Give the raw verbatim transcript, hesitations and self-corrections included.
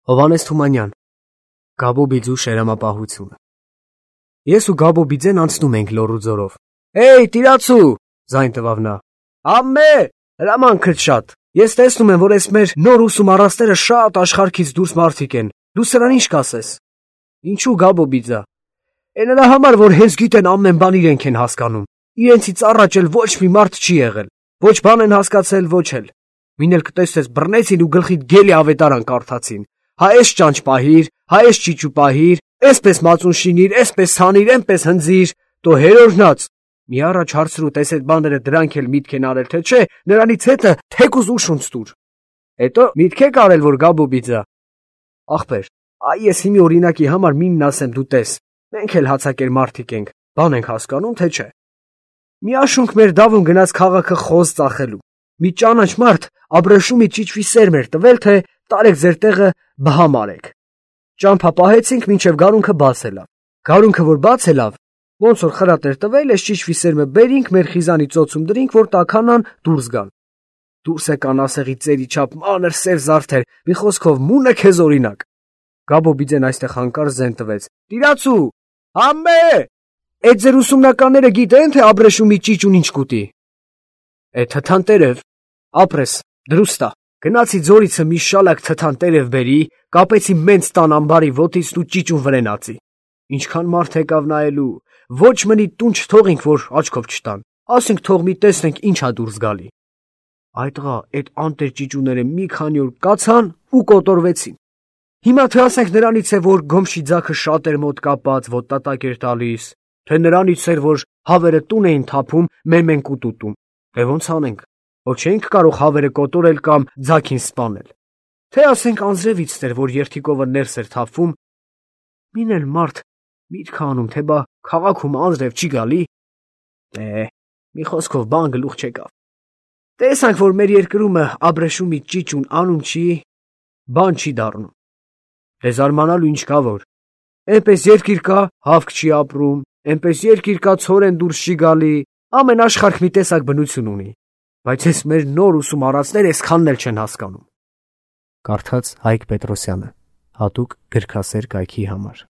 Հովհաննես Թումանյան, Գաբոբիձու շերամապահությունը։ Ես ու Գաբոբիձեն անցնում ենք լոռու ձորով։ Էյ, տիրացու, ձայն տվավ նա։ Ամմե, հրամանքդ շատ։ Ես տեսնում եմ, որ այս մեր նոր ուսում առաստերը շատ աշխարհքից դուրս մարդիկ են։ Դու սրան ինչ կասես։ Ինչու Գաբոբիձա։ Է նրա համար, որ հենց գիտեն ամեն բան իրենք են հասկանում։ Իրենցից առաջ էլ ոչ մի մարդ չի եղել։ Ոչ բան են հասկացել, ոչ էլ։ Մին էլ կտեսնես բռնեցին ու գլխիդ գելի ավետարան կարդացին։ Հա էս ճանճ պահիր, հա էս ճիճու պահիր, էսպես մածուն շինիր, էսպես հանիր, էնպես հնձիր, տո հերորնաց։ Մի առաջ հարցրու, տես այդ բաները դրանք էլ միտք են արել, թե չէ, նրանից հետը թեկուզ ուշունց տուր։ Հետո միտք եք արել, որ Գաբոբիձա։ Ախպեր, այ ես հիմի օրինակի համար մինն ասեմ, դու տես, մենք էլ հացակեր մարդիկ ենք, բան ենք հասկանում, թե չէ։ Մի աշունք մեր դավուն գնաց քաղաքը խոզ ծախելու։ Մի ճանաչ մարդ Աբրեշումի ճիճվի սերմ էր տվել, թե տարեք ձեր տեղը բհամ արեք։ Ճամփա պահեցինք, մինչև գարունքը բաց ելավ։ Գարունքը որ բաց ելավ, ոնց որ խրատ էր տվել, այս ճիճվի սերմը բերինք, մեր խիզանի ծոցում դրինք, որ տաքանան դուրս գան։ Դուրս եկան ասեղի ծերի չափ մանր սև զարդեր, մի խոսքով մունը քեզ օրինակ։ Գաբոբիձեն այստեղ հանկարծ զեն տվեց։ Տիրացու, համե, այդ ձեր ուսումնականները գիտեն, թե Աբրեշումի ճիճուն ինչ կուտի։ Է թթան տերև, ապրես, դրուստա, գնացի ձորիցը մի շալակ թթան տերև բերի, կապեցի մենց տան ամբարի ոտից ու ճիճուն վրենացի։ Ինչքան մարդ եկավ նայելու, ոչ մնի տուն չթողինք, որ աչքով չտան, ասենք թող մի տեսնենք ինչ ա դուրս գալի։ Այդ տղա, այդ անտեր ճիճուները մի քանի օր կացան ու կոտորվեցին։ Հիմա թե ասենք նրանից է, որ գոմշի ձագը շատ էր մոտ կապած, ոտնատակ էր տալիս, թե նրանից էր, որ հավերը տուն էին թափում, մեմեն կուտուտում, թե ոնց անենք, որ չենք կարող հավերը կոտորել կամ ձագին սպանել։ Թե ասենք անձրևից էր, որ երթիկովը ներս էր թափվում, մին էլ մարդ միտք անում, թե բա քաղաքում անձրև չի գալի։ Է, մի խոսքով բան գլուխ չեկավ։ Տեսանք, որ մեր երկրումը Աբրեշումի ճիճուն անում չի, բան չի դառնում։ Դե զարմանալու ինչ կա որ։ Էնպես երկիր կա, հավք չի ապրում, էնպես երկիր կա, ցորեն դուրս չի գալի, ամեն աշխարհ մի տեսակ բնություն ունի։ Բայց ես մեր նոր ուսում առածները այսքանն էլ չեն հասկանում։ Կարդաց Հայկ Պետրոսյանը, հատուկ գրքասեր կայքի համար։